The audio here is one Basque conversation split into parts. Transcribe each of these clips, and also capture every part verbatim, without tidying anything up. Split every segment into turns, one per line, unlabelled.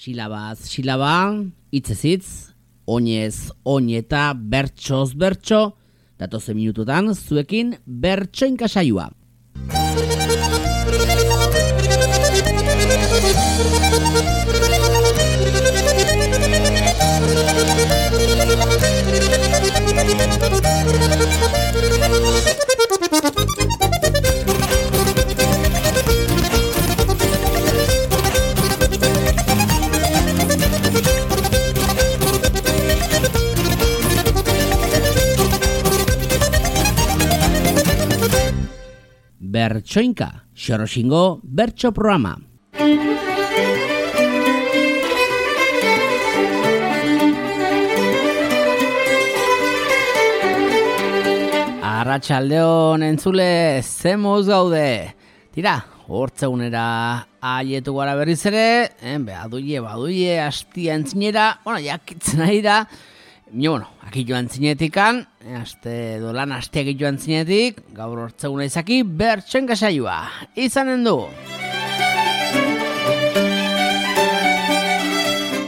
Silabaz, silaba, hitzez hitz, oinez, oin eta bertsoz bertso, datozen minututan zuekin bertsoinka saioa. Bertsoinka, Xoroxingo bertso programa. Arratsaldeon entzule, ze moz gaude. Tira, hortzegunera aietu gara berriz ere, eh, baduie, baduie, hastia entzinera, bueno, jakitzen ari da, Ni, bueno, aki joan zinetikan, aste dolan asteak joan zinetik, gaur hortzeguna izaki, bertsoinka saioa, izanen du.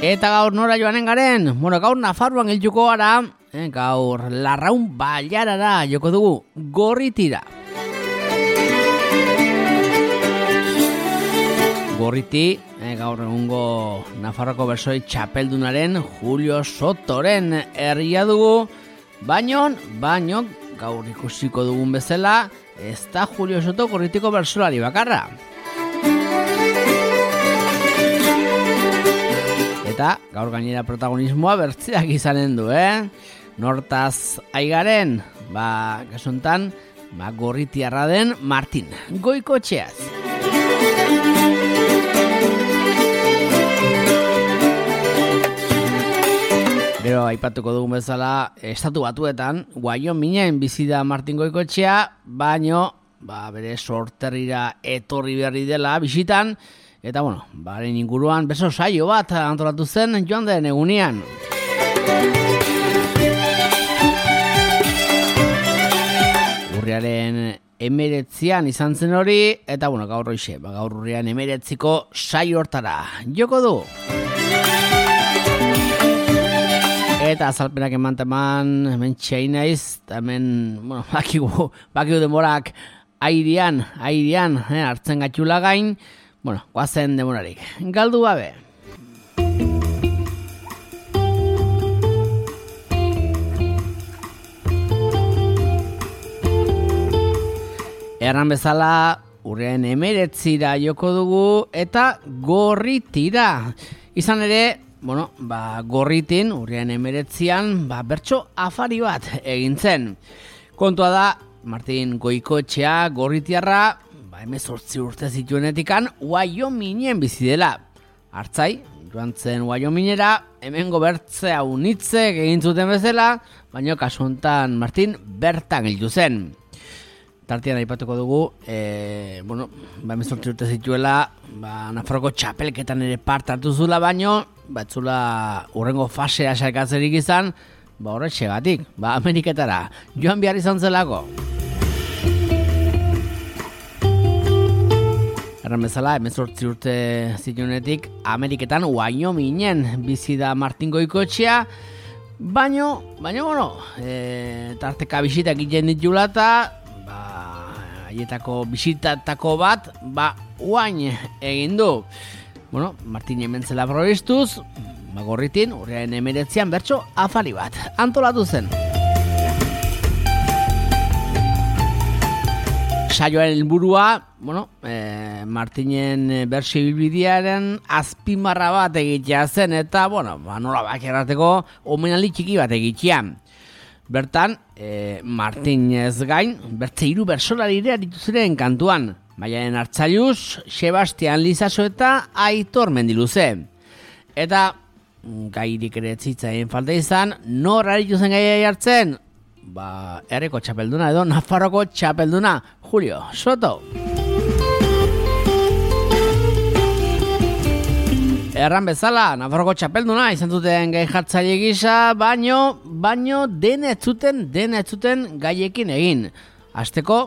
Eta gaur nora joanen garen, bueno, gaur Nafarroan hiltuko gara, eh, gaur Larraun Bailarara joko dugu, Gorritira. Gorriti, eh, gaur egungo Nafarroko bersoi txapeldunaren Julio Sotoren herria dugu, baino, baino, gaur ikusiko dugun bezala, ez da Julio Soto Gorritiko bersolari bakarra. Eta gaur gainera protagonismoa bertzeak izanen du, eh? Nortaz aigaren, ba, kasuntan, ba, Gorritiarra den Martin Goikotxeaz. Gero aipatuko dugun bezala, estatu batuetan, Wyomingen bizi da Martin Goikotxea, baino, ba, bere sorterrira etorri berri dela bisitan, eta bueno, baren inguruan beso saio bat antolatu zen joan den egunean. Urriaren emeretzian izan zen hori, eta bueno, gaur hoxe, ba, gaur urriaren emeretziko saio hortara joko du. Eta azalpenak eman teman, hemen txain naiz, hemen, bueno, bakigu, bakigu demorak airean, airean, eh, hartzen gatxula gain, bueno, guazen demorarik. Galdu gabe. Erran bezala, urrean emeretzira joko dugu, eta Gorritira. Izan ere, bueno, ba, Gorritin, urrian emeretzian, ba, bertso afari bat egin zen. Kontua da, Martin Goikotxea, Gorritiarra, ba, hemezortzi urte zituenetikan, Wyomingen bizi dela. Hartzai, joan zen Wyomingera, hemengo bertze haunitze egin zuten bezala, baina kasu honetan Martin bertan hildu zen. Tartean aipatuko dugu, e, bueno, ba, hemezortzi urte zituela, ba, Nafarroko txapelketan ere parte hartu zula, baino, batzula urrengo fasea saikatzerik izan, ba horretxegatik, ba Ameriketara joan behar izan zelako. Erran bezala, hemezortzi urte zituenetik, Ameriketan Wyomingen bizi da Martin Goikotxea, baino, baino, bueno, e, tarteka bisita egiten ditula eta, ba, haietako bisitatako bat, ba, uain egin du. Bueno, Martin hementzela probistuz, ba, Gorritin, urriaren emeretzian bertso afari bat antolatu zen. Saioaren helburua, bueno, e, Martinen bertso ibilbidearen azpimarra bat egitea zen, eta, bueno, ba, nola bak errateko omenaldi txiki bat egitea. Bertan, e, Martinez gain, bertze hiru bersolari ere aritu ziren kantuan, Maialen Artzailuz, Sebastian Lizaso eta Aitor Mendiluze. Eta gairik ere zitzaien falta izan, nor aritu zen gaiai hartzen? Ba, herriko txapelduna edo Nafarroko txapelduna, Julio Soto. Erran bezala, Nafarroko txapelduna izan zuten gai jartzaile gisa, baino, baino dena ez zuten, dena ez zuten gaiekin egin. Hasteko,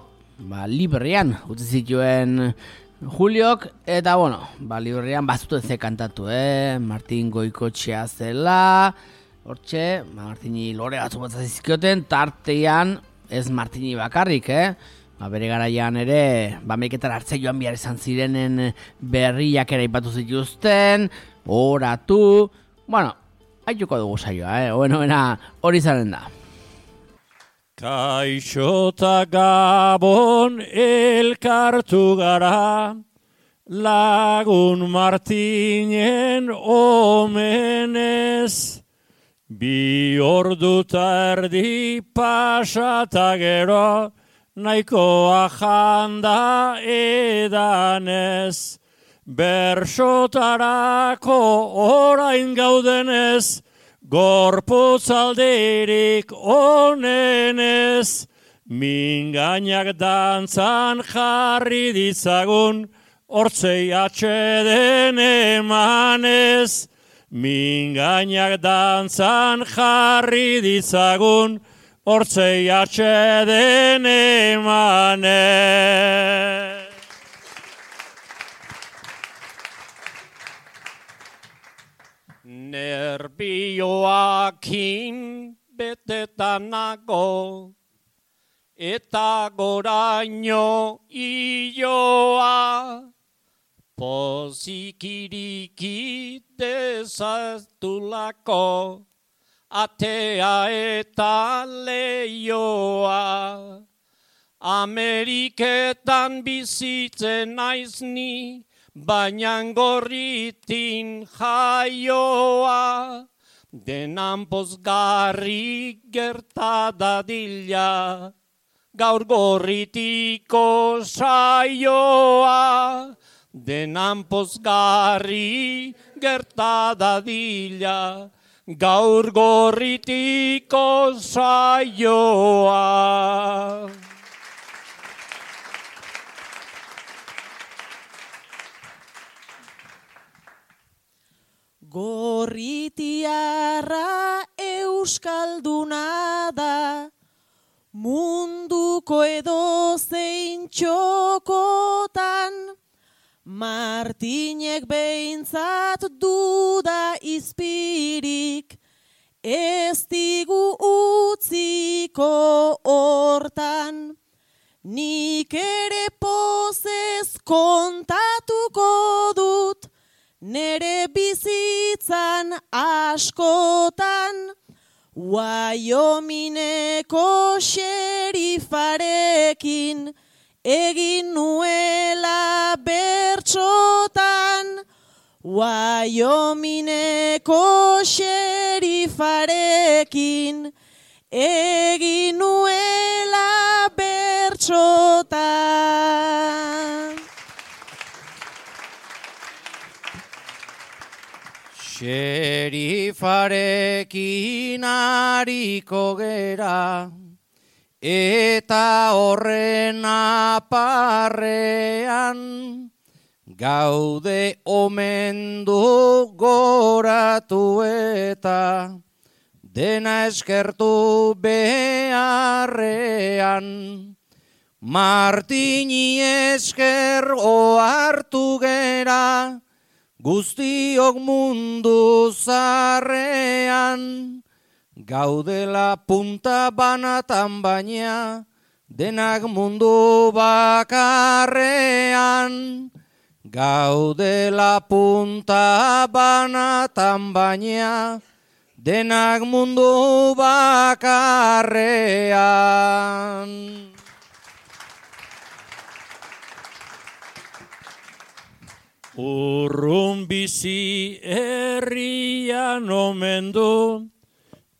ba, Liberrian utzi zituen Juliok, eta bueno, ba, liburrean bazuten ze kantatu, eh? Martin Goikotxea zela, hortxe, ba, Martini lore batzu bat zizkioten, tartean ez Martini bakarrik, eh? Ba, bere garaian ere, ba, meiketan hartze joan bihar izan zirenen berriak ere ipatu zituzten, oratu, bueno, haituko dugu saioa, eh? Bueno, hori zaren da.
Kaixo ta Gabon elkartu gara, lagun Martinen omenez, bi ordu ta erdi pasata gero, nahikoa janda edanez, bersotarako orain gaudenez, gorputz alderik onenez, mingainak dantzan jarri ditzagun, hortzei atxeden emanez. Mingainak dantzan jarri ditzagun, hortzei atxeden emanez. Nerbioakin betetanago, eta goraino ioa, pozikiriki dezaztulako, atea eta leioa. Ameriketan bizitzen naizni, baina gorritin jaioa, denan pozgarri gerta dadila, gaur gorritiko saioa, denan pozgarri gerta dadila, gaur gorritiko saioa.
Gorritiarra euskalduna da, munduko edozein txokotan, Martinek behintzat duda izpirik, ez digu utziko hortan. Nik ere pozez kontatuko dut, nere bizitzan askotan, Wyomingeko xerifarekin egin nuela bertsotan. Wyomingeko xerifarekin egin nuela bertsotan.
Xerifarekin hariko gera, eta horren aparrean, gaude omendu goratu eta, dena eskertu beharrean. Martini esker ohartu gera, guztiok mundu zarrean, gaudela punta banatan baina, denak mundu bakarrean. Gaudela punta banatan baina, denak mundu bakarrean. Urrun bizi herrian omen du,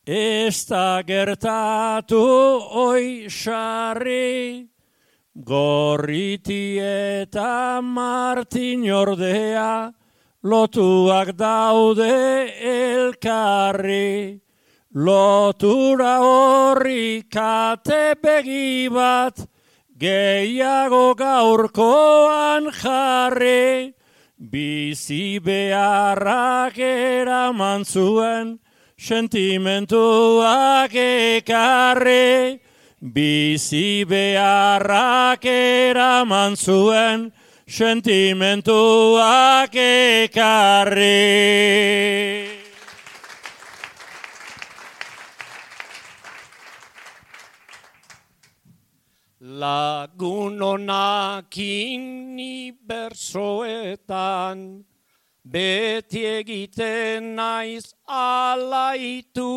ez da gertatu oi sarri, Gorriti eta Martin ordea, lotuak daude elkarri. Lotura horri kate begi bat, gehiago gaurkoan jarri. Bizi beharrak eraman zuen, sentimentuak ekarri. Bizi beharrak eraman zuen, sentimentuak ekarri. Lagun honakin ni bersoetan, beti egiten naiz alaitu,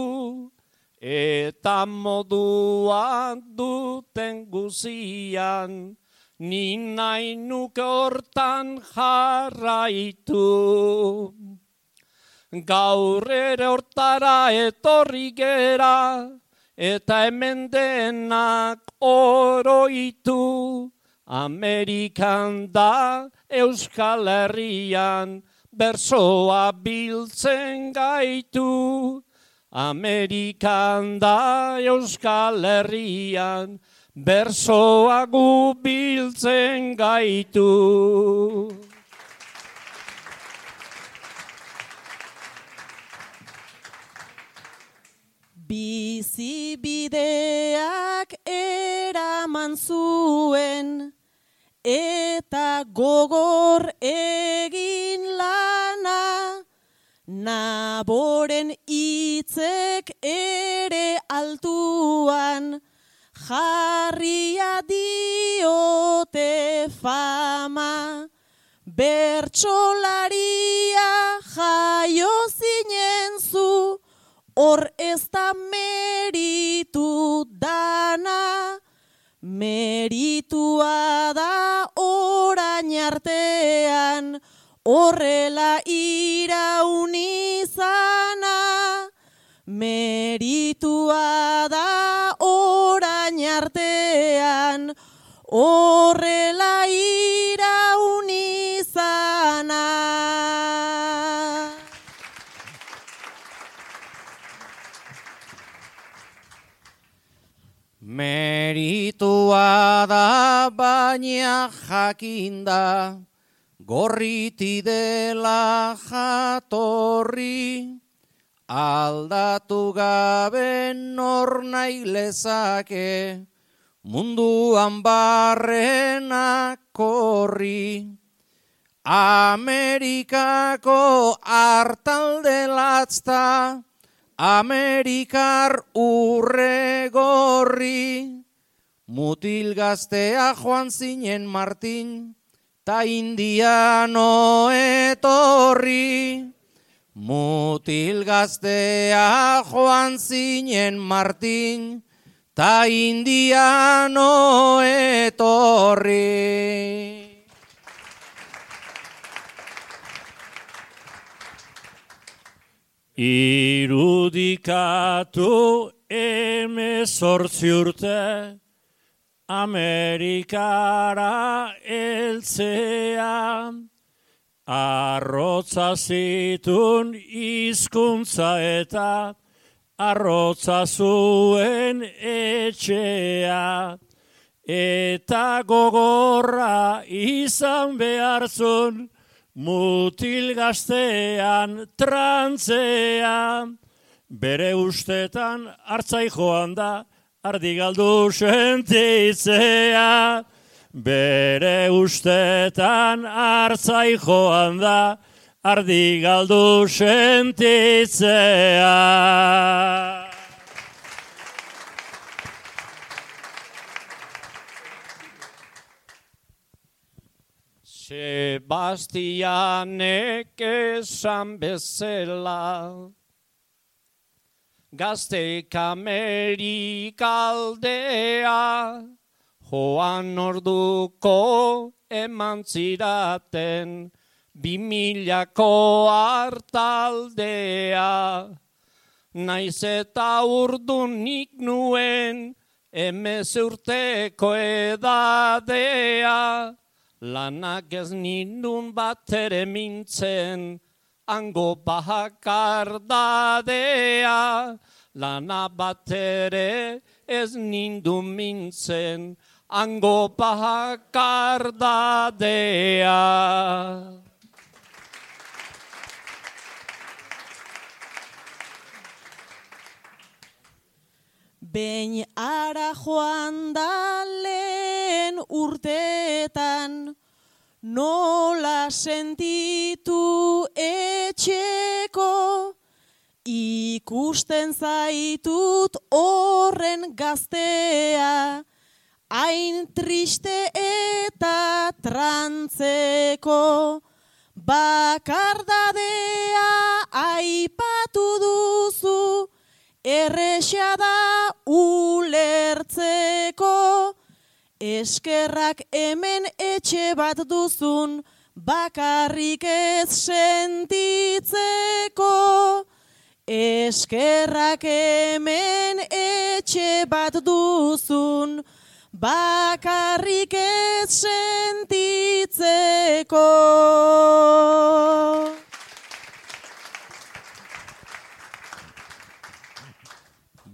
eta moduan duten guzian, ni nahi nuke hortan jarraitu. Gaur ere hortara etorri gera, eta hemen denak oroitu. Amerikan da Euskal Herrian, bersoa biltzen gaitu. Amerikan da Euskal Herrian, bersoa gu biltzen gaitu.
Bizibideak eraman zuen, eta gogor egin lana, naboren hitzek ere altuan, jarria diote fama. Bertsolaria jaio zinen zu, hor ez da meritu dana, meritua da orain artean, horrela iraun izana. Meritua da orain artean, horrela iraun izana.
Meritua da baina jakinda, gorriti dela jatorri, aldatu gabe nor nahi lezake, munduan barrena korri. Amerikako artalde latzta, Amerikar urre gorri, mutil gaztea joan zinen Martin, ta indiano etorri. Mutil gaztea joan zinen Martin, ta indiano etorri.
Irudikatu emezortzi urte, Amerikara heltzea, arrotza zitun hizkuntza eta arrotza zuen etxea, eta gogorra izan behartzun, mutil gaztean trantzea, bere ustetan hartzai joan da, ardi galdu sentitzea. Bere ustetan hartzai joan da, ardi galdu sentitzea.
Sebastianek esan bezala, gaztek Amerikaldea, joan orduko eman ziraten, bimilako hartaldea. Naiz eta urdunik nuen, emez urteko edadea, lanak ez nindun bat ere mintzen, hango bakardadea. Lana bat ere ez nindun mintzen, hango bakardadea.
Behin ara joan da lehen urteetan, nola sentitu etxeko, ikusten zaitut horren gaztea, hain triste eta trantzeko, bakardadea aipatu duzu, erresa da ulertzeko, eskerrak hemen etxe bat duzun, bakarrik ez sentitzeko. Eskerrak hemen etxe bat duzun, bakarrik ez sentitzeko.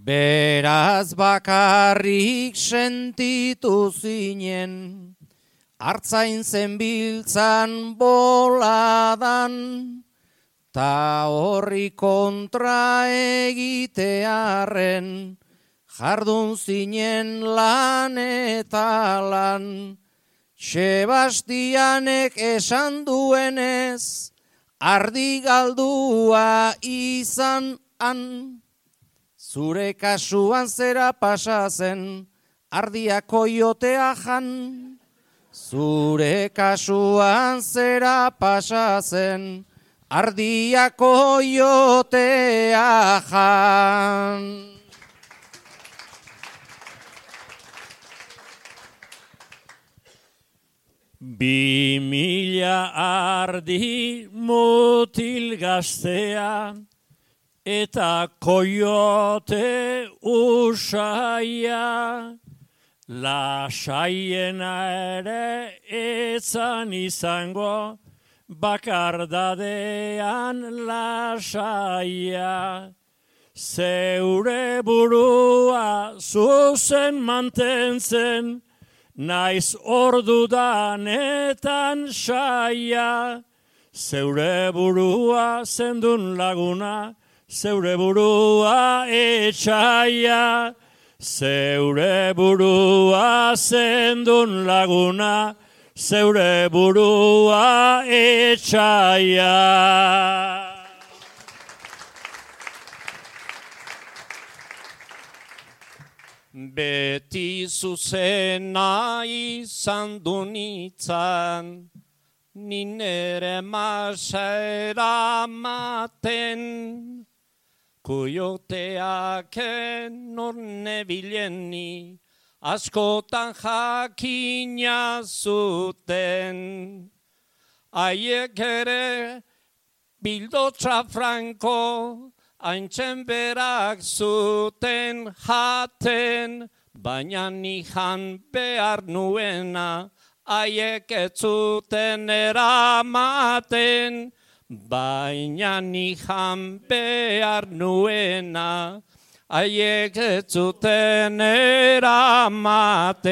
Beraz bakarrik sentitu zinen, hartzain zenbiltzan boladan, ta horri kontra egitearren, jardun zinen lan eta lan. Sebastianek esan duenez, ardi galdua izan han. Zure kasuan zera pasa zen, ardia koiotea jan. Zure kasuan zera pasa zen, ardia koiotea jan.
Bi mila ardi mutil gaztea, eta koiote usaia, lasaiena ere etzan izango, bakardadean lasaia. Zeure burua zuzen mantentzen, naiz ordudanetan saia. Zeure burua zendun laguna, zeure burua etxaia. Zeure burua zendun laguna, zeure burua etxaia.
Beti zuzena izan du nitzan, ninere masera maten, koioteak enorne bileni, askotan jakina zuten. Haiek ere bildotza franko, haintzen berak zuten jaten, baina nijan behar nuena, haiek ez zuten eramaten, baina nijan behar nuena, haiek ez zuten eramaten.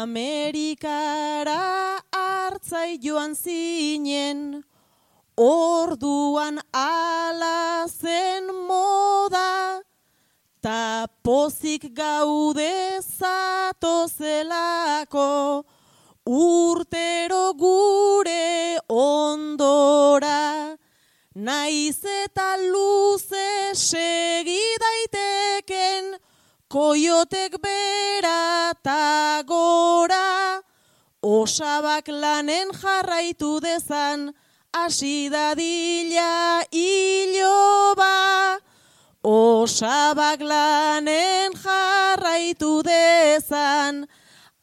Amerikara hartzai joan zinen, orduan ala zen moda, ta pozik gaude zatozelako, urtero gure ondora, naiz eta luze segi daiteken, koiotek bera ta gora, osabak lanen jarraitu dezan, hasi dadila iloba. Osabak lanen jarraitu dezan,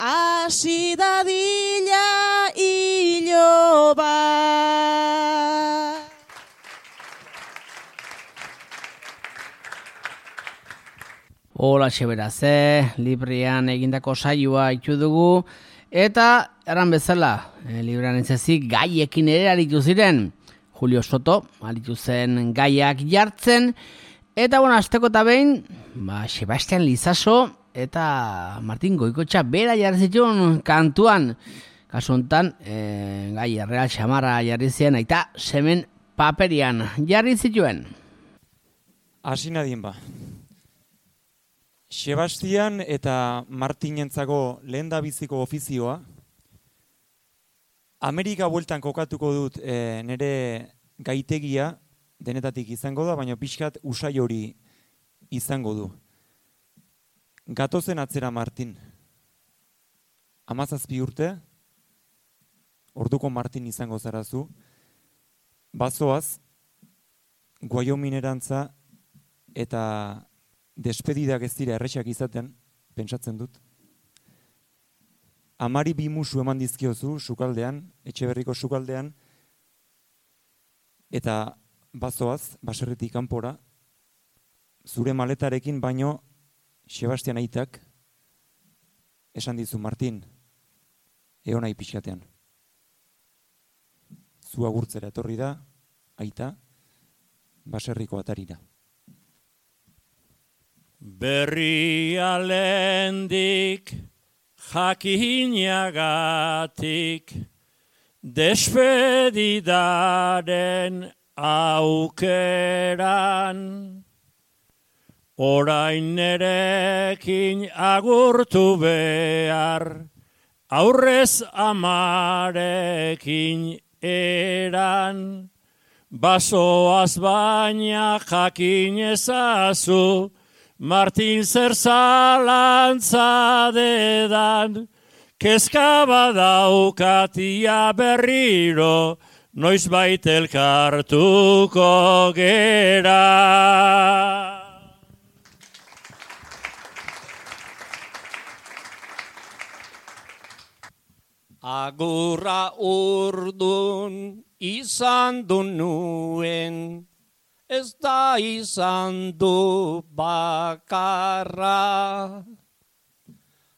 hasi dadila iloba.
Hola xeberaze, Librian egindako saioa itxu dugu, eta erran bezala, e, Librian entzezik gaiekin ere aritu ziren. Julio Soto aritu zen gaiak jartzen, eta bueno, azteko eta behin, ba, Sebastian Lizaso eta Martin Goikotxa bera jarri zituen kantuan. Kasu honetan, e, gai erreal xamarra jarri ziren, eta semen paperian jarri zituen.
Hasi nadien ba. Sebastian eta Martinentzako lehendabiziko ofizioa. Amerika bueltan kokatuko dut e, nire gaitegia denetatik izango da, baina pixkat usai hori izango du. Gatozen atzera Martin. Hamazazpi urte, orduko Martin izango zarazu. Bazoaz, Guaiominerantza eta despedidak ez dira erresak izaten, pentsatzen dut. Amari bi musu eman dizkiozu sukaldean, Etxeberriko sukaldean, eta bazoaz, baserritik kanpora, zure maletarekin baino Sebastian aitak esan dizu, Martin, egon nahi pixkatean. Zu agurtzera etorri da, aita, baserriko atarira.
Berria lehendik jakinagatik despedidaren aukeran orain nerekin agurtu behar aurrez amarekin eran basoaz baina jakin ezazu Martin zer zalantza dedan, kezka badaukatia berriro, noiz bait elkartuko gera.
Agurra urdun izan du nuen, ez da izan du bakarra.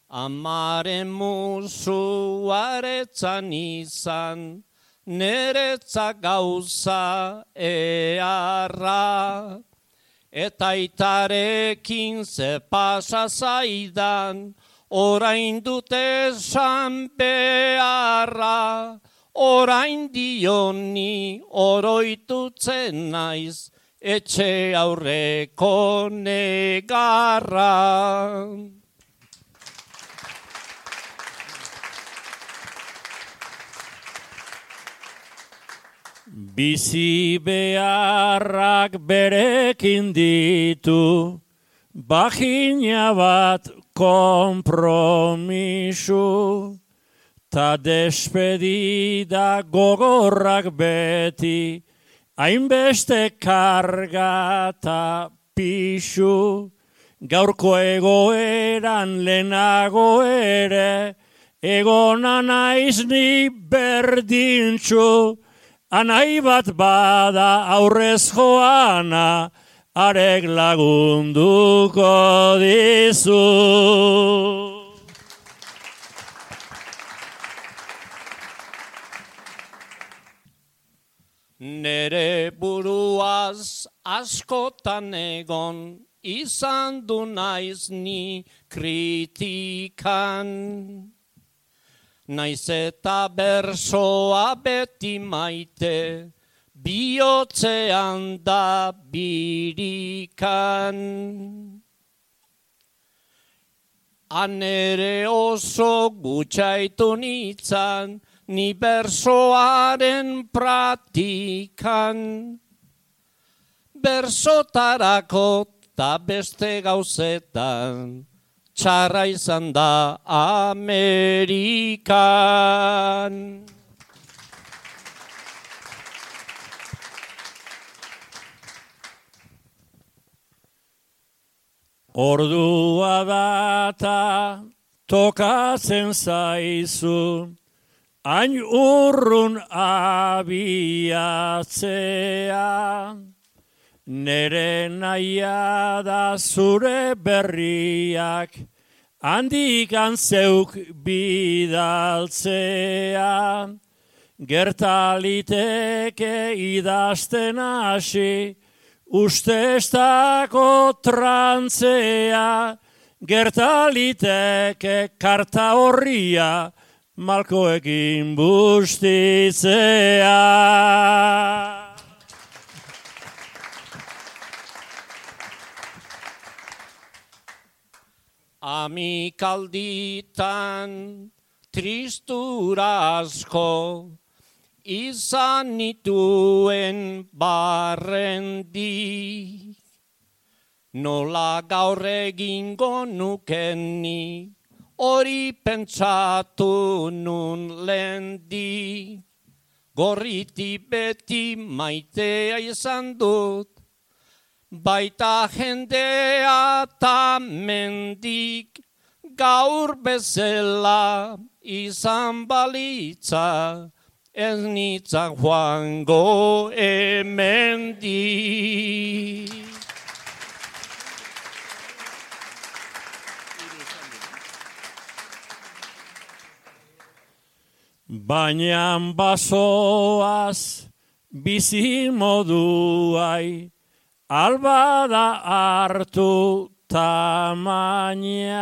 Amaren musuaretzan izan, neretza gauza earra. Eta itarekin ze pasa zaidan, orain dut esan beharra. Orain dioni oroitutzen naiz, etxe aurreko negarra.
Bizi beharrak berekin ditu, bagina bat konpromisu, ta despedida gogorrak beti, hainbeste karga ta pixu, gaurko egoeran lehenago ere, egona naiz ni berdintxu, anai bat bada aurrez joana, arek lagunduko dizu.
Nere buruaz askotan egon, izan du naiz ni kritikan. Naiz eta bersoa beti maite, bihotzean da birikan. Anere oso gutxaitu nitzan, ni bersoaren pratikan. Bersotarako ta beste gauzetan, txarra izan da Amerikan.
Ordua data tokatzen zaizu, hain urrun abiatzea, nere naia da zure berriak, handikan zeuk bidaltzea, gertaliteke idazten hasi, usteztako trantzea, gertaliteke karta horria, malkoekin bustitzea.
Amikalditan tristura asko izan nituen barrendi. Nola gaur egingo nukeni, hori pentsatu nun lendi. Gorriti beti maitea izan dut, baita jendea ta mendik, gaur bezala izan balitza, ez nitzak joango hemendik.
Baina basoaz bizi moduai, albada hartu tamaina.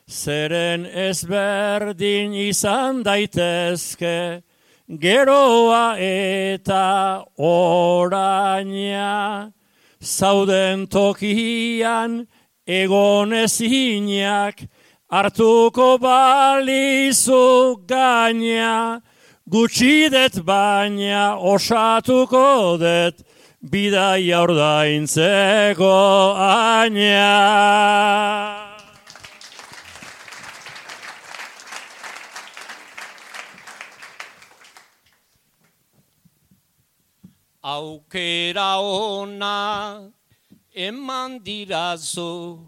Zeren ezberdin izan daitezke, geroa eta oraina. Zauden tokian egon ezinak, hartuko balizu gaina, gutxi det baina osatuko det, bidaia ordaintzeko aina.
Aukera ona eman dirazu,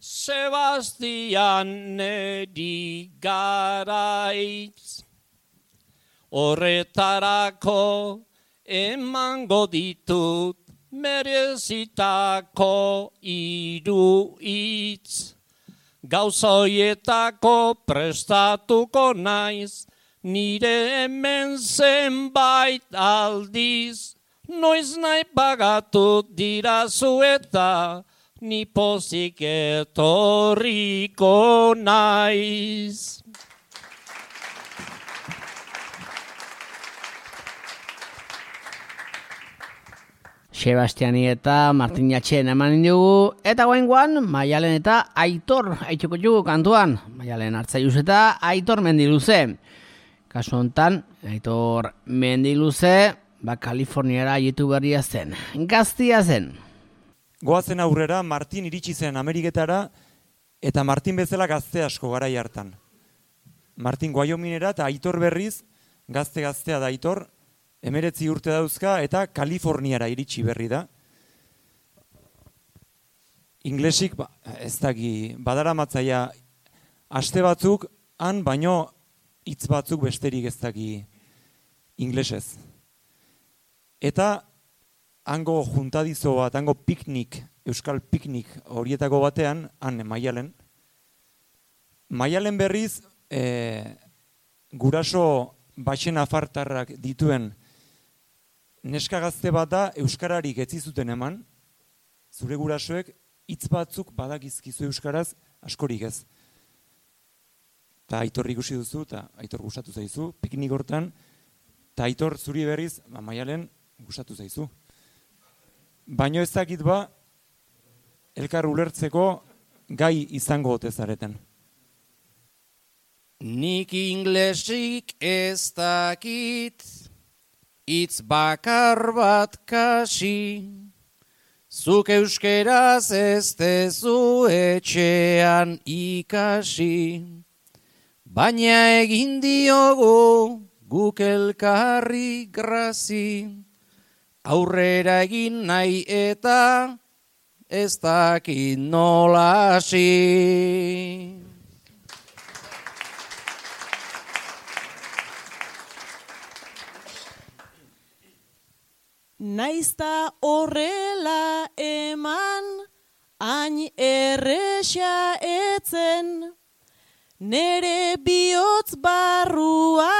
Sebastian neri garaiz. Horretarako emango ditut merezitako hiru hitz. Gauzoietako prestatuko naiz, nire hemen zenbait aldiz. Noiz nahi pagatu dirazu eta ni pozik etorriko naiz.
Sebastiani eta Martin Jatxen eman dugu, eta guaingoan Maialen eta Aitor aitzuko dugu kantuan. Maialen Artzaiuz eta Aitor Mendiluze. Kasu hontan, Aitor Mendiluze, ba Kaliforniara jetu berria zen. Gaztia zen.
Goazen aurrera, Martin iritsi zen Ameriketara, eta Martin bezala gazte asko garai hartan. Martin Wyominera eta Aitor berriz, gazte-gaztea da Aitor, emeretzi urte dauzka eta Kaliforniara iritsi berri da. Inglesik, ba, ez daki, badara matzaia, aste batzuk, han baino hitz batzuk besterik ez daki inglesez. Eta hango juntadizo bat, hango piknik, euskal piknik horietako batean, han Maialen. Maialen berriz, e, guraso baxen afartarrak dituen neska gazte bat da euskararik etzi zuten eman, zure gurasoek hitz batzuk badakizkizu euskaraz askorik ez. Eta Aitor ikusi duzu, eta Aitor gustatu zaizu, piknik hortan, eta Aitor zuri berriz, ba, Maialen gustatu zaizu. Baino ez dakit ba, elkar ulertzeko gai izango ote zareten.
Nik inglesik ez dakit, hitz bakar bat kasi, zuk euskeraz ez tezu etxean ikasi, baina egin diogu guk elkarri grazi, aurrera egin nahi eta ez dakit nola hasi.
Naizta horrela eman, hain erresa etzen, nere bihotz barrua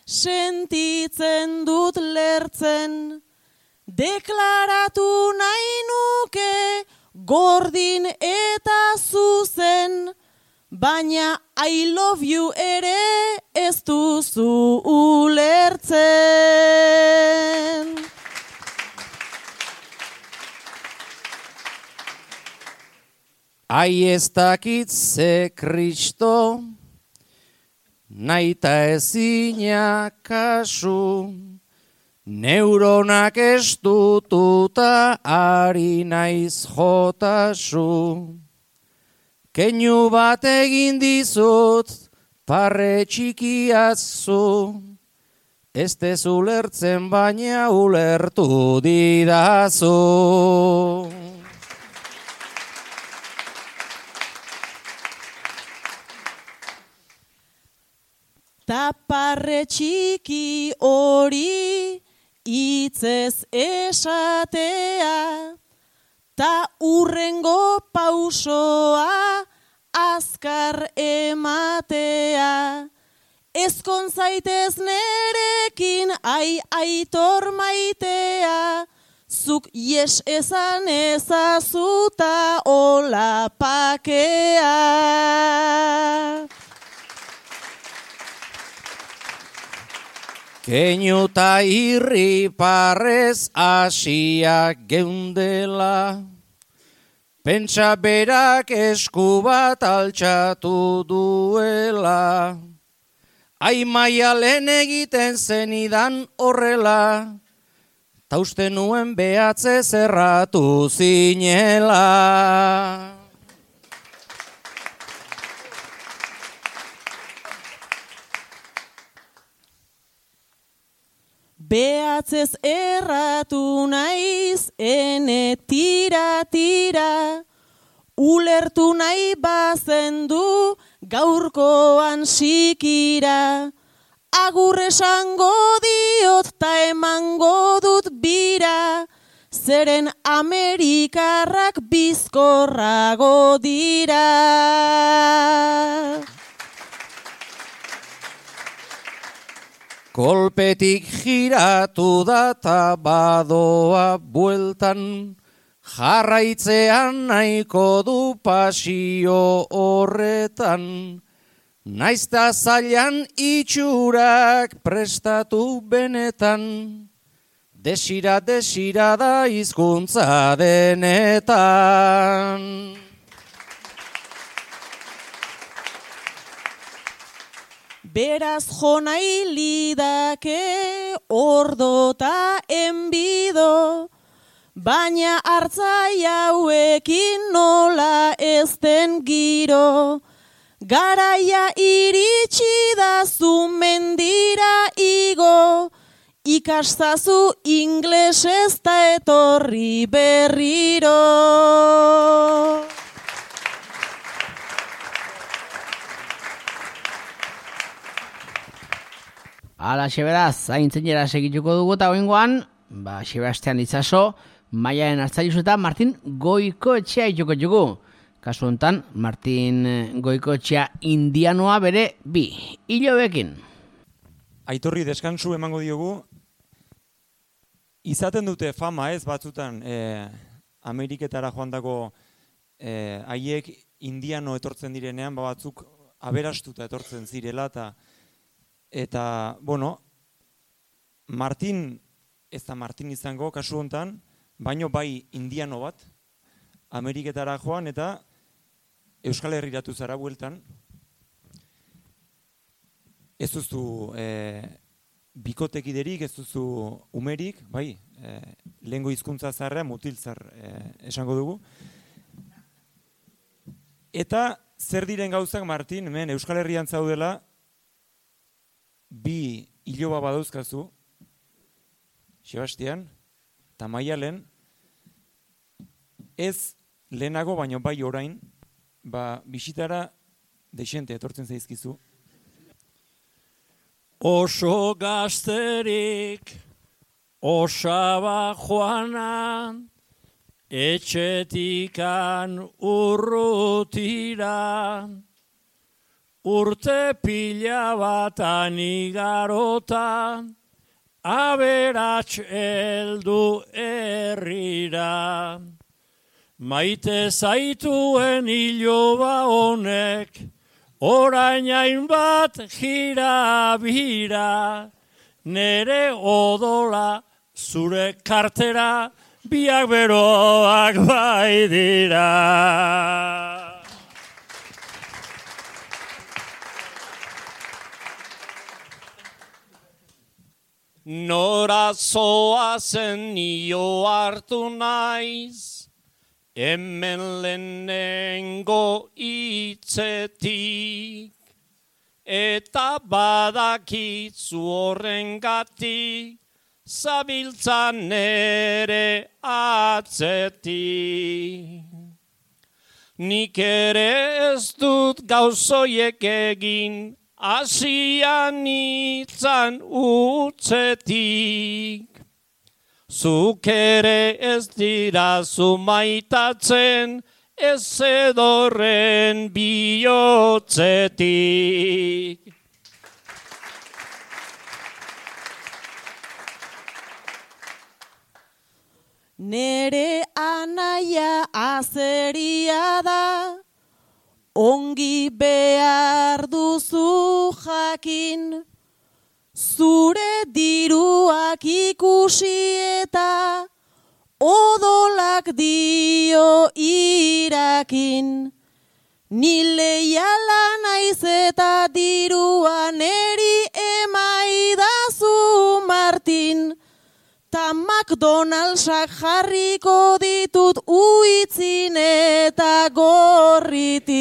sentitzen dut lertzen. Deklaratu nahi nuke gordin eta zuzen, baina I love you ere ez duzu ulertzen.
Ai ez dakit ze Kristo, naita ezina kasu, neuronak estututa ari naiz jotasu. Keinu bat egin dizut, parre txikiazu, ez tezu lertzen baina ulertu didazu.
Ta parre txiki hori hitzez esatea, ta urrengo pausoa azkar ematea. Ezkon zaitez nerekin ai aitor maitea, zuk yes esan ezazuta hola pakea.
Keinu ta irri parrez asiak geundela, pentsa berak esku bat altxatu duela. Ai maialen egiten zenidan horrela, ta uste nuen behatze zerratu zinela.
Behatzez erratu naiz, ene tira tira, ulertu nahi bazendu gaurkoan sikira. Agur esango diot ta emango dut bira, zeren Amerikarrak bizkorrago dira.
Kolpetik giratu da ta badoa bueltan, jarraitzean nahiko du pasio horretan. Naizta zailan itxurak prestatu benetan, desira desira da hizkuntza denetan.
Beraz jo nahi lidake ordo ta enbido, baina hartzai hauekin nola ez den giro. Garaia iritsi da zu mendira igo, ikastazu inglesez ta etorri berriro.
Hala, xeberaz, zaintzeinera segituko dugu eta oingoan, ba, Sebastian Itxaso, Maialen Arzaius eta Martin Goikoetxea itxuko dugu. Kasu honetan, Martin Goikoetxea indianoa bere bi hilobekin.
Aitorri deskansu emango diogu, izaten dute fama ez batzutan e, Ameriketara joandako e, haiek indiano etortzen direnean, ba batzuk aberastuta etortzen zirela, eta Eta, bueno, Martin, ez da Martin izango kasu honetan, baino bai indiano bat, Ameriketara joan eta Euskal Herriratu zara bueltan. Ez duzu e, bikotekiderik, ez duzu umerik, bai, e, lehengo hizkuntza zarra, mutiltzar e, esango dugu. Eta zer diren gauzak, Martin, hemen Euskal Herrian zaudela, bi iloba badauzkazu, Sebastian, eta Maialen, ez lehenago, baino bai orain, ba, bisitara desente etortzen zaizkizu.
Oso gazterik, osaba joanan, etxetikan urrutira, urte pila batan igarota, aberats heldu herrira. Maite zaituen iloba honek, orain hainbat jira bira, nere odola zure kartera, biak beroak bai dira.
Nora zoazen nio hartu naiz, hemen lehenengo hitzetik, eta badakitzu horrengatik, zabiltzan ere atzetik. Nik ere ez dut gauzoiek egin, asian itzan utzetik. Zuk ere ez dirazu maitatzen, ez edorren bihotzetik.
Nere anaia azeria da, ongi behar duzu jakin, zure diruak ikusi eta odolak dio irakin. Ni leiala naiz eta dirua neri emaidazu Martin, ta McDonald'sak jarriko ditut uitzin eta gorritin.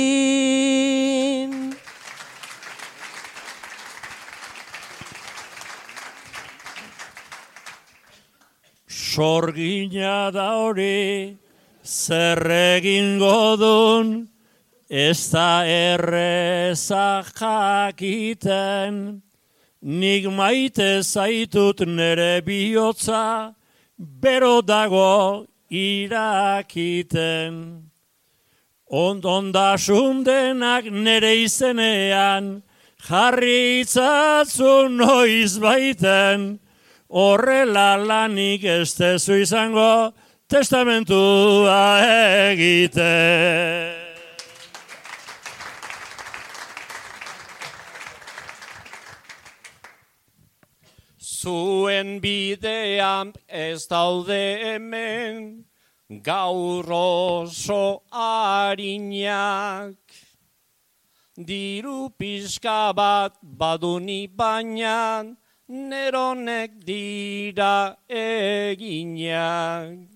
Sorgina da hori, zer egingo dun, ez da erreza jakiten. Nik maite zaitut nere bihotza, bero dago irakiten. Ondondasun denak nere izenean, jarri itzatzu noiz baiten, horrela lanik ez tezu izango, testamentua egiten.
Zuen bidean ez daude hemen, gaur oso harinak. Diru pixka bat baduni baina, neronek dira eginak.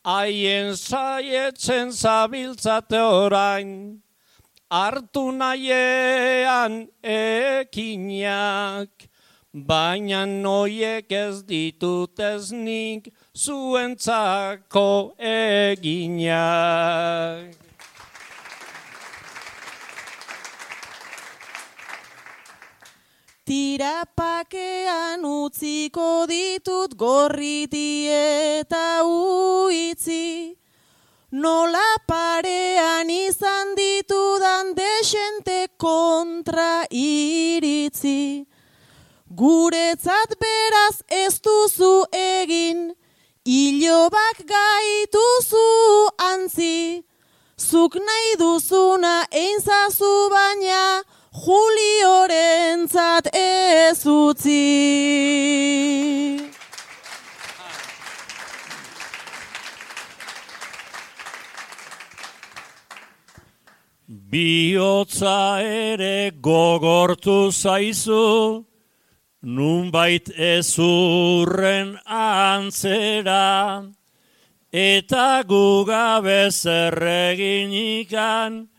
Haien saietzen zabiltzate orain, hartu nahiean ekinak. Baina noiek ez ditut ez nik zuentzako eginak.
Tirapakean utziko ditut gorriti eta uitzi, nola parean izan ditudan desente kontra iritzi. Guretzat beraz ez duzu egin, ilobak gaituzu antzi. Zuk nahi duzuna einzazu baina, Juliorentzat ez utzi.
Bihotza ere gogortu zaizu, nunbait ezurren antzera, eta gugabe zerreginikan,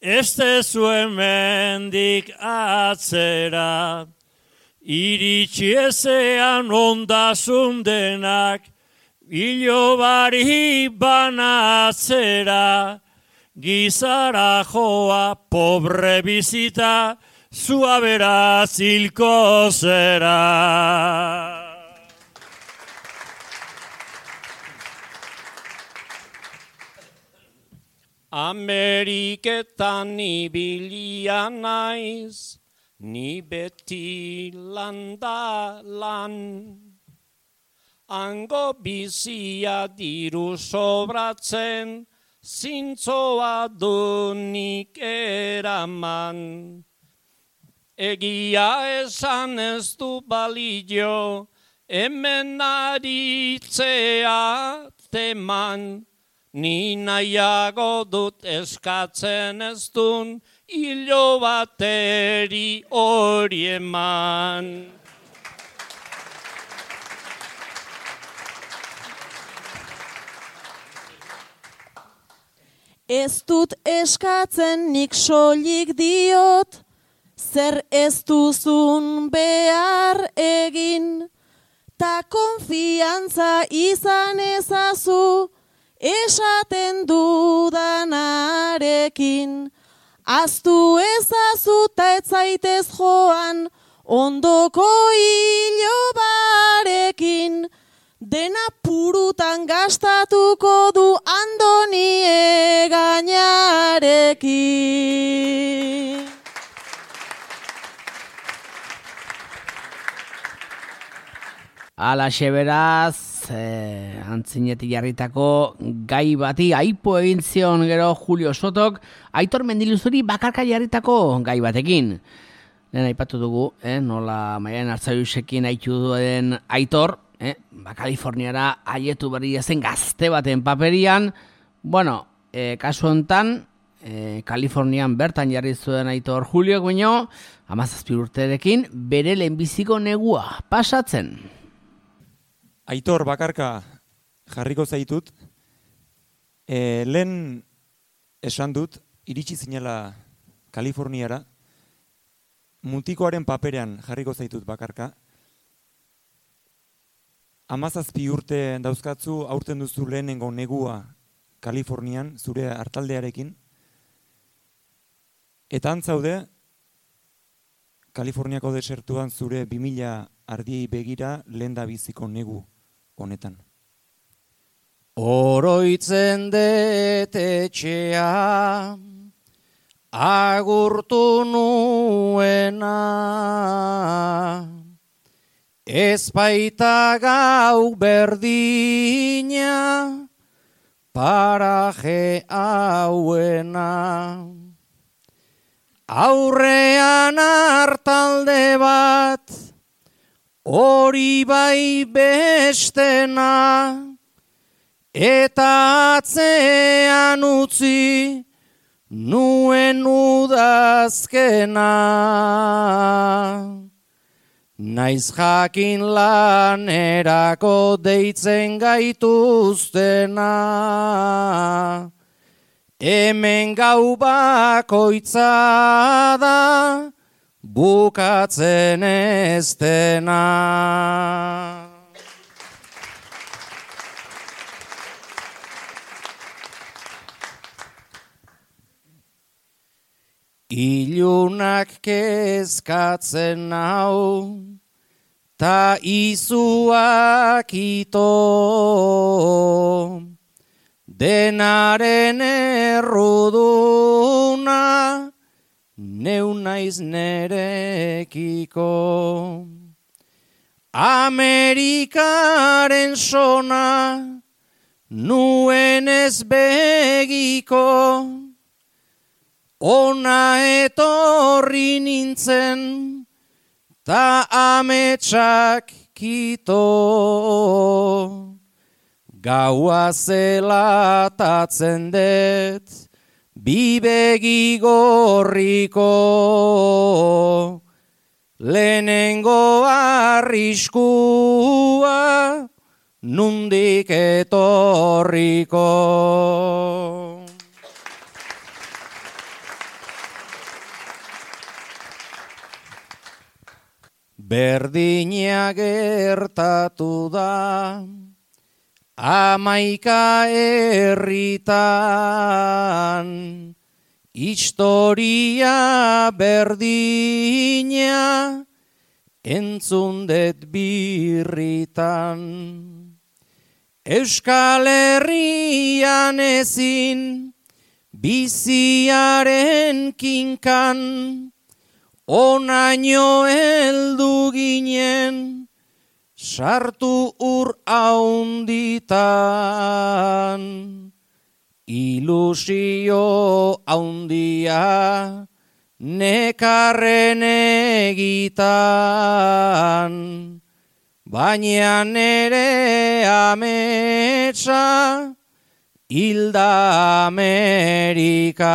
ez tezu hemendik atzera. Iritsi ezean ondasun denak, ilobari banatzera, gizara joa pobre bizita, zua beraz hilko zera.
Ameriketan ibilia naiz, ni beti landa lan. Hango bizia diru sobratzen, zintzoa dunik eraman. Egia esan ez du balio, hemen aritzea teman. Ni nahiago dut eskatzen ez dun, hilo bateri hori eman.
Ez dut eskatzen nik soilik diot, zer ez duzun behar egin, ta konfiantza izan ezazu, esaten dudanarekin. Aztu ezazu ta ez zaitez joan, ondoko ilobarekin, dena purutan gastatuko du Andoni Egañarekin.
Alaxe beraz, eh, antzinetik jarritako gai bati aipo egin zion gero Julio Sotok, Aitor Mendiluzuri bakarka jarritako gai batekin. Lehen aipatu dugu, eh, nola Maialen Arzayusekin aitu duen Aitor, eh, ba, Kaliforniara haietu berria zen gazte baten paperian. Bueno, eh, kasu hontan, eh, Kalifornian bertan jarri zuen Aitor Julio baino, hamazazpi urterekin bere lehenbiziko negua pasatzen.
Aitor, bakarka jarriko zaitut, e, lehen esan dut, iritsi zinela Kaliforniara, mutikoaren paperean jarriko zaitut bakarka. Hamazazpi urte dauzkatzu, aurten duzu lehenengo negua Kalifornian, zure hartaldearekin. Eta antzaude, Kaliforniako desertuan zure bi mila ardiei begira lehen da biziko negu honetan.
Oroitzen dut etxea, agurtu nuena, ez baita gau berdina, paraje hauena. Aurrean hartalde bat, hori bai bestena, eta atzean utzi nuen udazkena. Naiz jakin lanerako deitzen gaituztena, hemen gau bakoitza da, bukatzen ez dena. Ilunak kezkatzen nau, ta izuak ito, denaren erruduna, neu naiz nerekiko. Amerikaren sona, nuen ez begiko, ona etorri nintzen, ta ametsak kito. Gaua zelatatzen dut, bi begi gorriko, lehenengo arriskua, nundik etorriko. Berdina gertatu da, Amaika herritan, historia berdina, entzundet birritan. Euskal Herrian ezin, biziaren kinkan, onaino heldu ginen, sartu ur haunditan. Ilusio haundia, nekarren egitan, baina nere ametsa, hilda Amerikan.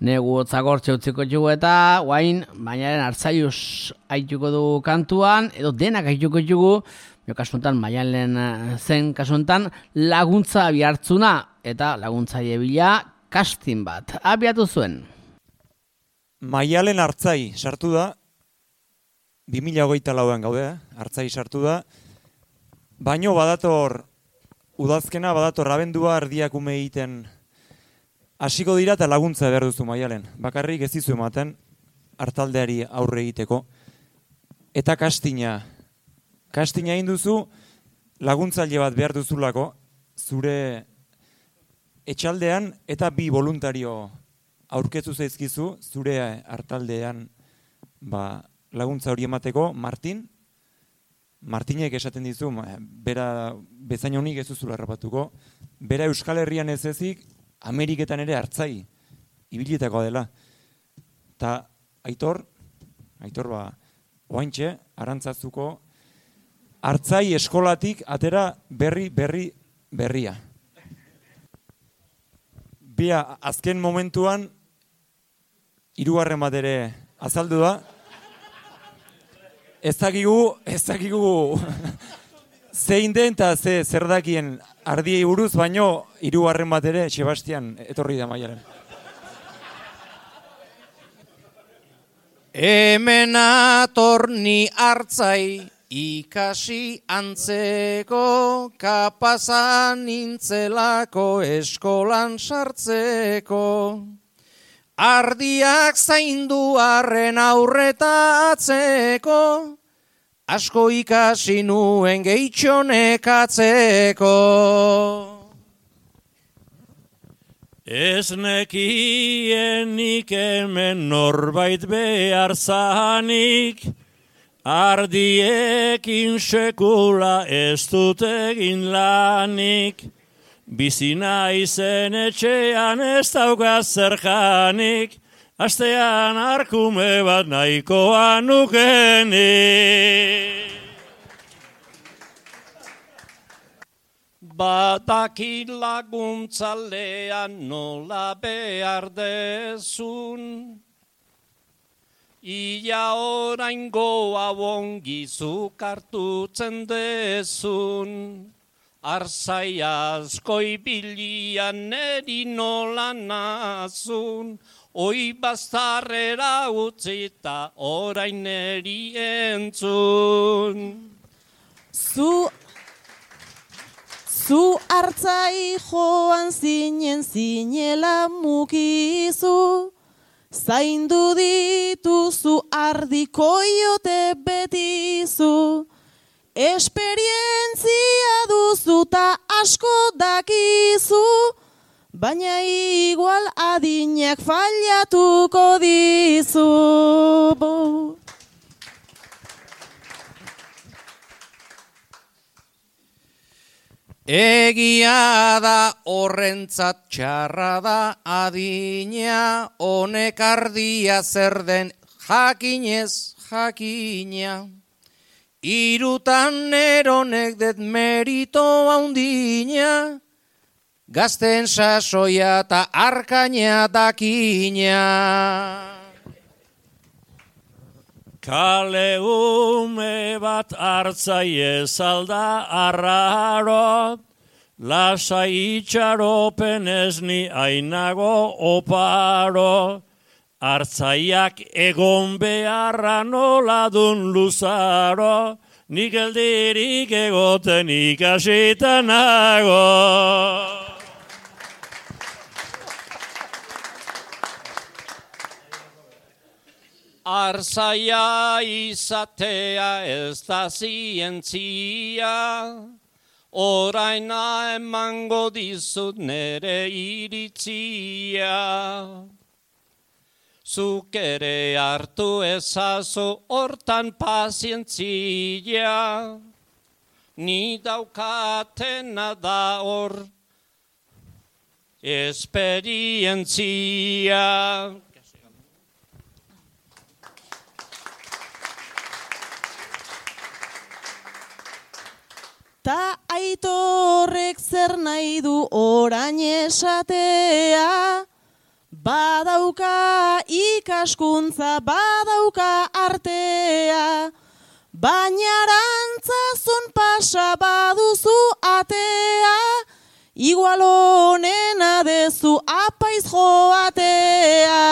Negu otzagortxe utziko dugu eta guain Maialen Arzaius haituko du kantuan, edo denak haituko dugu, jo kasuntan Maialen zen kasuntan laguntza bihartzuna eta laguntzaile bila casting bat. Abiatu zuen.
Maialen Artzai sartu da, bi mila hogeita lauan gaude, Artzai sartu da, baino badator udazkena, badator abendua erdiak ume egiten hasiko dira eta laguntza behar duzu Maialen. Bakarrik ez dizu ematen hartaldeari aurre egiteko. Eta kastina. Kastina egin duzu laguntzaile bat behar duzulako zure etxaldean eta bi voluntario aurkeztu zaizkizu zure hartaldean ba, laguntza hori emateko. Martin, Martinek esaten dizu, bera bezain honik ez duzula errapatuko, bera Euskal Herrian ez ezik, Ameriketan ere Artzai ibilitakoa dela. Ta Aitor, Aitor ba, oaintxe, Arantzazuko Artzai eskolatik atera berri, berri, berria. Bia, azken momentuan, hirugarren bat ere azaldu da. Ez dakigu, ez dakigu zein den eta ze zer dakien ardiei buruz, baino hirugarren bat ere Sebastian etorri da Maialen.
Hemen atorni Artzai ikasi antzeko, kapazan nintzelako eskolan sartzeko. Ardiak zaindu arren aurreta atzeko, asko ikasi nuen gehitxonekatzeko.
Ez nekienik hemen norbait behar zanik, ardiekin sekula ez dut egin lanik. Bizina izen etxean ez daukaz zer janik, astean arkume bat nahikoa nukenik.
Badaki laguntzalean nola behar dezun, ia oraingoa ongizuk hartutzen dezun. Arzai asko ibilian neri nola nazun, oi baztarrera utzita orain neri entzun.
Zu, zu Artzai joan zinen zinela mukizu, zaindu dituzu ardikoiote betizu. Esperientzia duzu ta asko dakizu, baina igual adinak fallatuko dizu.
Egia da horrentzat txarra da adina, honek ardia zer den jakinez jakina. Irutan eronek det merito haundina, gazten sasoia eta arkaina dakina.
Kale ume bat Artzai ez alda arraro, lasai itxaropen ez ni ainago oparo. Artzaiak egon beharra nola dun luzaro, nik eldirik egoten ikasita nago.
Arzaia izatea ez da zientzia, oraina emango dizut nere iritzia. Zuk ere hartu ezazu hortan pazientzia, ni daukatena da hor esperientzia.
Ta Aitorrek zer nahi du orain esatea, Badauka ikaskuntza, badauka artea, baina arantzazun pasa baduzu atea, igual honena dezu apaiz joatea.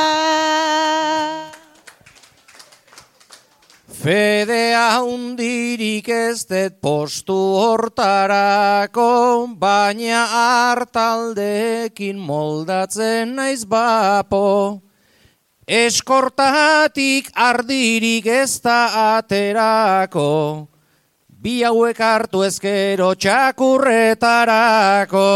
Fedea hundirik ez dut postu hortarako, baina hartaldekin moldatzen naiz bapo. Eskortatik ardirik ez da aterako, bi hauek hartu ezkero txakurretarako.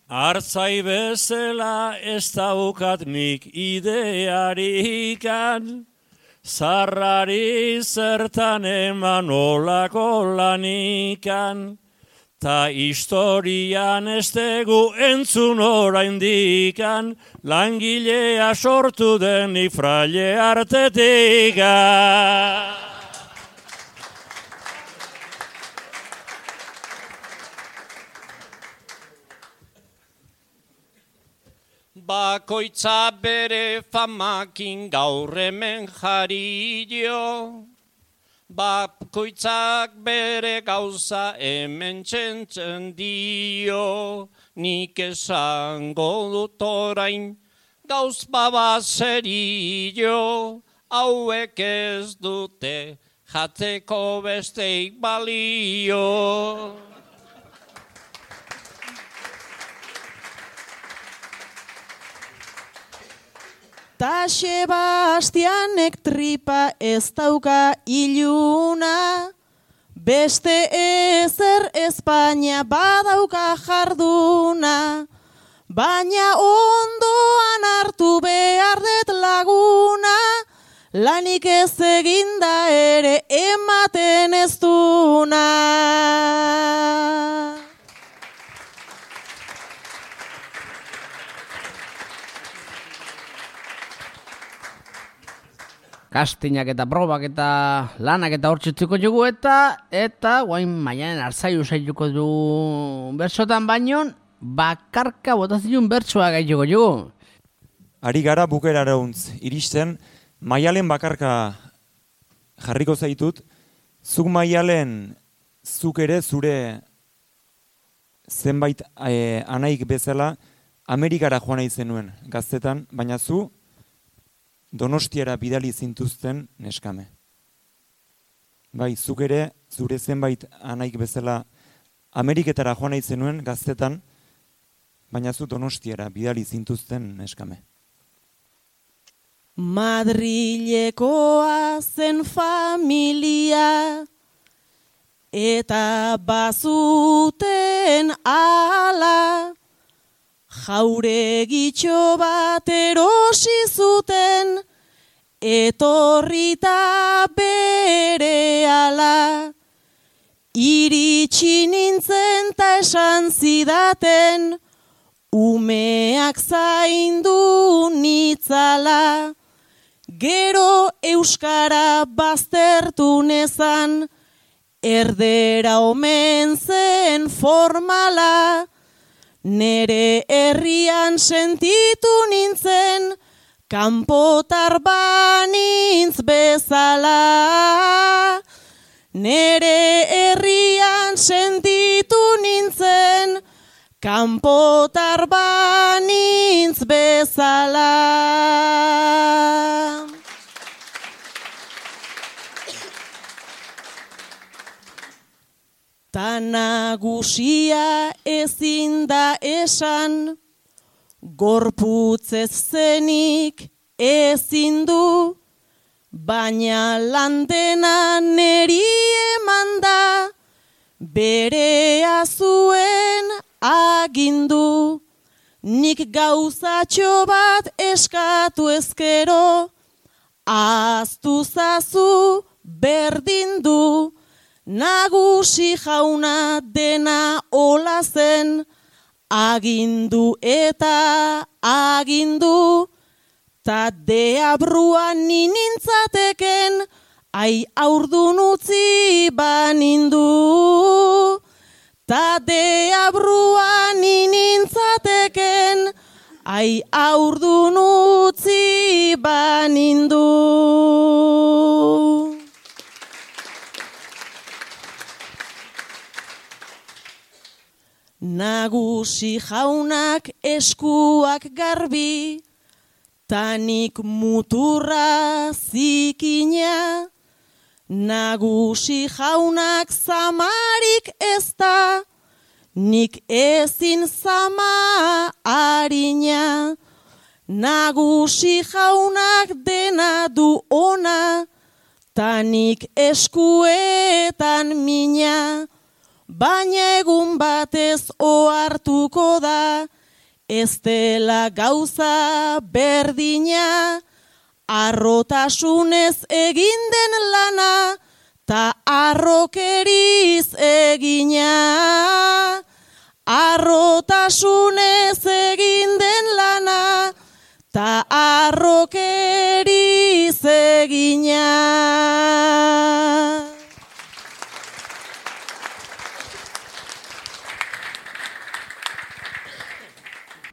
Artzai bezala ez daukat nik idearikan, zarrari zertan eman olako lanikan, ta historian ez tegu entzun oraindikan, langilea sortu denik fraile artetikan.
Bakoitza bere famakin gaur hemen jario, bakoitzak bere gauza hemen txentzen dio, nik esango dut orain gauz babazerio, hauek ez dute jatzeko besteik balio.
Ta Sebastianek tripa ez dauka iluna, beste ezer Espainia badauka jarduna, baina ondoan hartu behar dut laguna, lanik ez eginda ere ematen ez duna.
Kastinak eta probak eta lanak eta hortzitziko dugu eta eta guain maianen arzaiu zaituko du bertsotan baino bakarka botazilun bertsoa gaituko dugu.
Ari gara bukerara untz, iristen maialen bakarka jarriko zaitut, zuk maialen zuk ere zure zenbait eh, anaik bezala Amerikara joan nahi zenuen gaztetan, baina zu Donostiara bidali zintuzten neskame. Bai, zuk ere, zure zenbait anaik bezala Ameriketara joan nahi zenuen gaztetan, baina zu Donostiara bidali zintuzten neskame.
Madrilekoa zen familia, eta bazuten ala, jauregitxo bat erosi zuten, etorrita berehala. Iritsi nintzen ta esan zidaten, umeak zaindu nitzala. Gero euskara baztertu nezan, erdera omen zen formala. Nere herrian sentitu nintzen, kanpotar banintz bezala. Nere herrian sentitu nintzen, kanpotar banintz bezala. Ta nagusia ezin da esan, gorputzez zenik ezin du, baina landena neri eman da, berea zuen agindu. Nik gauzatxo bat eskatu ezkero, ahaztu zazu berdin du. Nagusi jauna dena hola zen, agindu eta agindu, ta deabruan ninintzateken, ai aurdun utzi banindu. Ta deabruan ninintzateken, ai aurdun utzi banindu. Nagusi jaunak eskuak garbi, tanik muturra zikina. Nagusi jaunak zamarik ez da, nik ezin zama harina. Nagusi jaunak dena du ona, tanik eskuetan mina. Baina egun batez ohartuko da, ez dela gauza berdina, arrotasunez egin den lana, ta arrokeriz egina. Arrotasunez egin den lana, ta arrokeriz egina.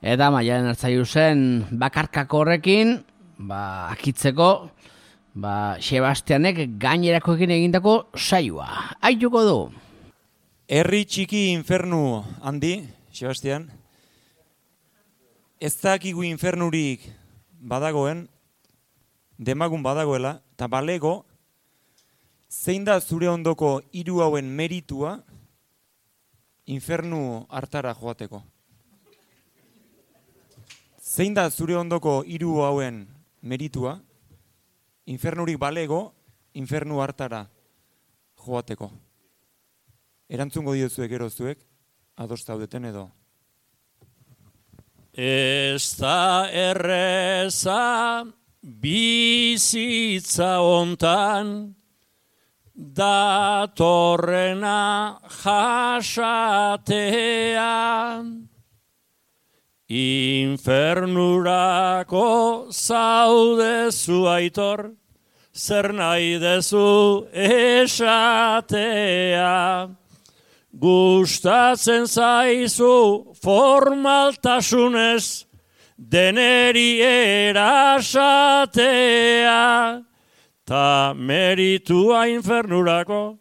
Eta Maialen Arzaiuzen bakarkako horrekin, ba, akitzeko, ba, Sebastianek gainerakoekin egindako saioa. Aituko du.
Herri txiki infernu handi, Sebastian. Ez dakigu infernurik badagoen, demagun badagoela, eta balego, zein da zure ondoko hiru hauen meritua infernu hartara joateko? Zein da zure ondoko hiru hauen meritua, infernurik balego, infernu hartara joateko? Erantzungo diozuek gero zuek, ados zaudeten edo?
Ez da erreza bizitza hontan, datorrena jasatean. Infernurako zaudezu aitor, zer nahi dezu esatea. Gustatzen zaizu formaltasunez, deneri erasatea. Ta meritua infernurako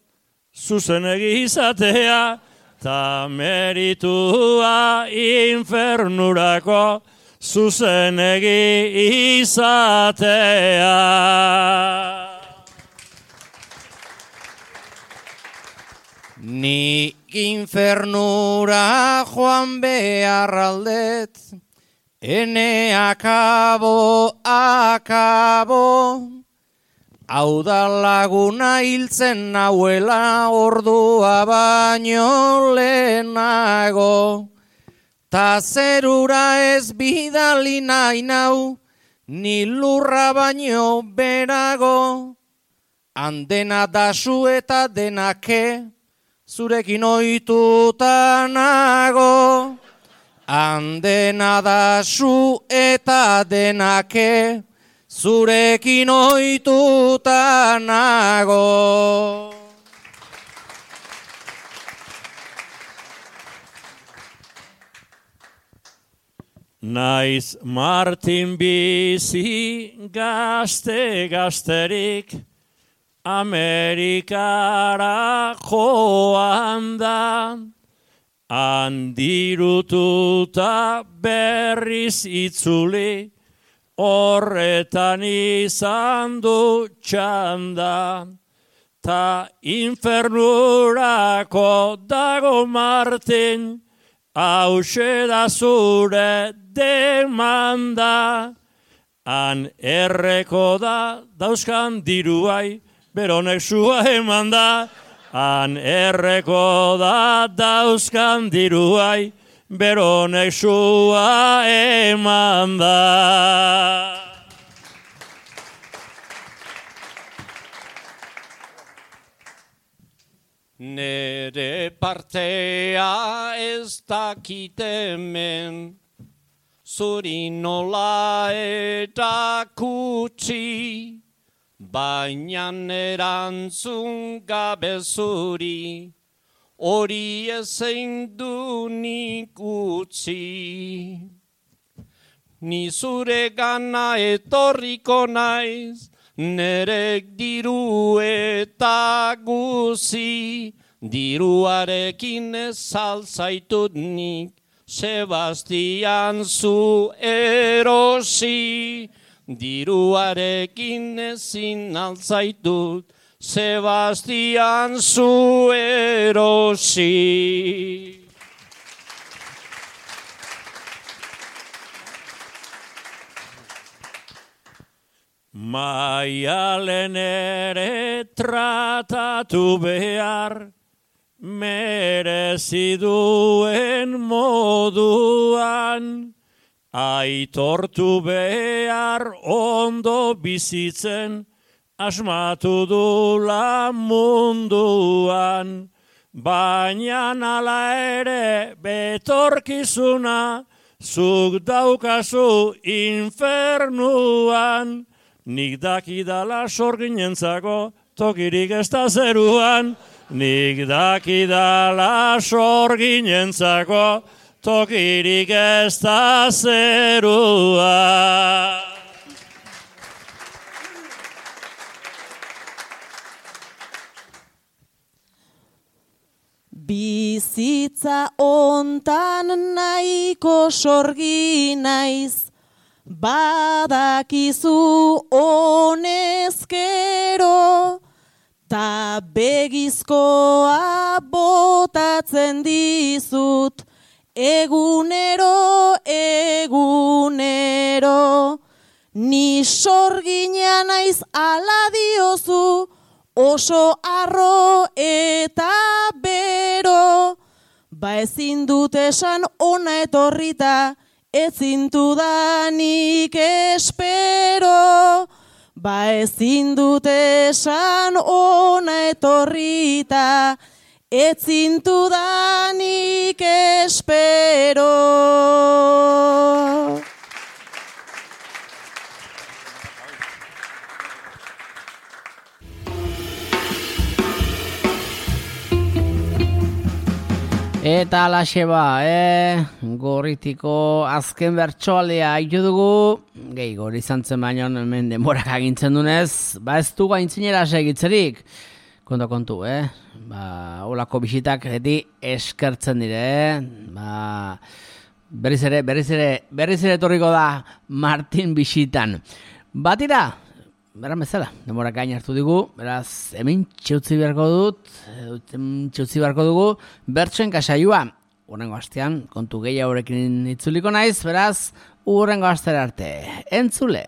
zuzenegi izatea. Ta meritua infernurako zuzenegi izatea.
Ni infernura joan behar aldet, ene akabo, akabo. Hau da laguna hiltzen nauela ordua baino lehenago. Ta zerura ez bidali nahi nau, ni lurra baino berago. Handena dasu eta denake, zurekin ohituta nago. Handena dasu eta denake, zurekin ohituta nago.
Naiz Martin bizi gazte gazterik, Amerikara joan da, handirututa berriz itzuli, horretan izan du txanda. Ta infernurako dago Martin, hause da zure demanda. Han erreko da dauzkan diruai, beronek sua eman da. Han erreko da dauzkan diruai, beronek sua eman da.
Nere partea ez dakit hemen, zuri nola eta kutsi, baina erantzun gabe zuri, hori ezein du nik utzi. ni zure gana etorriko naiz, nerek diru eta guzi, diruarekin ez alzaitut nik, Sebastian zu erosi, diruarekin ezin alzaitut, Sebastian zu erosi. Maialen ere tratatu behar, merezi duen moduan, aitortu behar ondo bizitzen, asmatu dula munduan, baina ala ere betorkizuna, zuk daukazu infernuan, nik dakidala sorginentzako tokirik ez da zeruan, nik dakidala sorginentzako tokirik ez da zeruan.
Bizitza ontan nahiko sorgi naiz, badakizu honezkero, ta begizkoa botatzen dizut, egunero, egunero. Ni sorgina naiz ala diozu, oso arro eta bero, ba ezin dut esan ona etorrita, ezin dudanik espero, ba ezin dut esan ona etorrita, ezin dudanik espero.
Eta alaxe ba, eh? Gorritiko azken bertsoalea haitu dugu, gehi gori izan zen baino hemen denborak agintzen dunez, ba ez du gaintzinera segitzerik, kontu kontu, eh? Ba, olako bisitak eti eskertzen dire, eh? Ba, berriz ere, berriz ere, berriz ere etorriko da Martin bisitan. Batira, beran bezala, denbora gain hartu digu, beraz, hemen txeutzi beharko dut, hemen txeutzi beharko dugu, bertsoen kasaioa. Urrengo astean, kontu gehiagorekin itzuliko naiz, beraz, urrengo astera arte. Entzule!